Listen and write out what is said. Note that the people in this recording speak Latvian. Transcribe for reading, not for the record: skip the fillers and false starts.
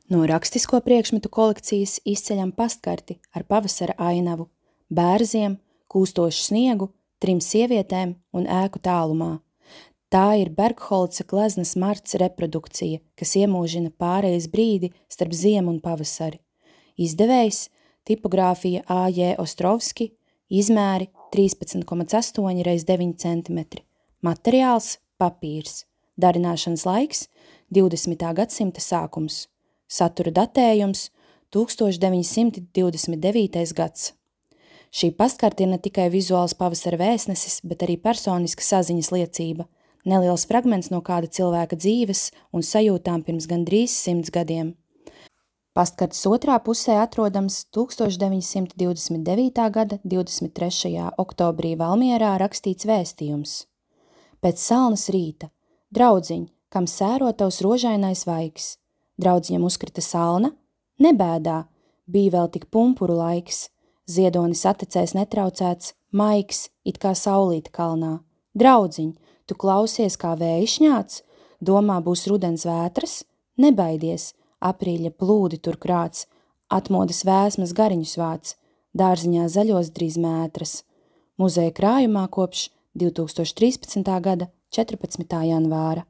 No rakstisko priekšmetu kolekcijas izceļam pastkarti ar pavasara ainavu, bērziem, kūstošu sniegu, 3 sievietēm un ēku tālumā. Tā ir Bergholca gleznas Marts reprodukcija, kas iemūžina pārejas brīdi starp ziemu un pavasari. Izdevējs tipogrāfija A.J. Ostrovski, izmēri 13,8 x 9 cm. Materiāls papīrs. Darināšanas laiks 20. gadsimta sākums. Satura datējums 1929. gads. Šī pastkarte ir ne tikai vizuāls pavasara vēstnesis, bet arī personiska saziņas liecība, neliels fragments no kāda cilvēka dzīves un sajūtām pirms gandrīz 100 gadiem. Pastkartes otrā pusē atrodams 1929. gada 23. oktobrī Valmierā rakstīts vēstījums. Pēc salnas rīta, draudziņ, kam sēro tavs rožainais vaigs. Draudziņam uzkrita salna? Nebēdā, bija vēl tik pumpuru laiks. Ziedonis atecēs netraucēts, maigs, it kā saulīte kalnā. Draudziņ, tu klausies kā vējš ņāc? Domā būs rudens vētras? Nebaidies, aprīļa plūdi tur krāc, atmodas vēsmas gariņus vāc, dārziņā zaļos drīz mētras. Muzeja krājumā kopš 2013. gada 14. janvāra.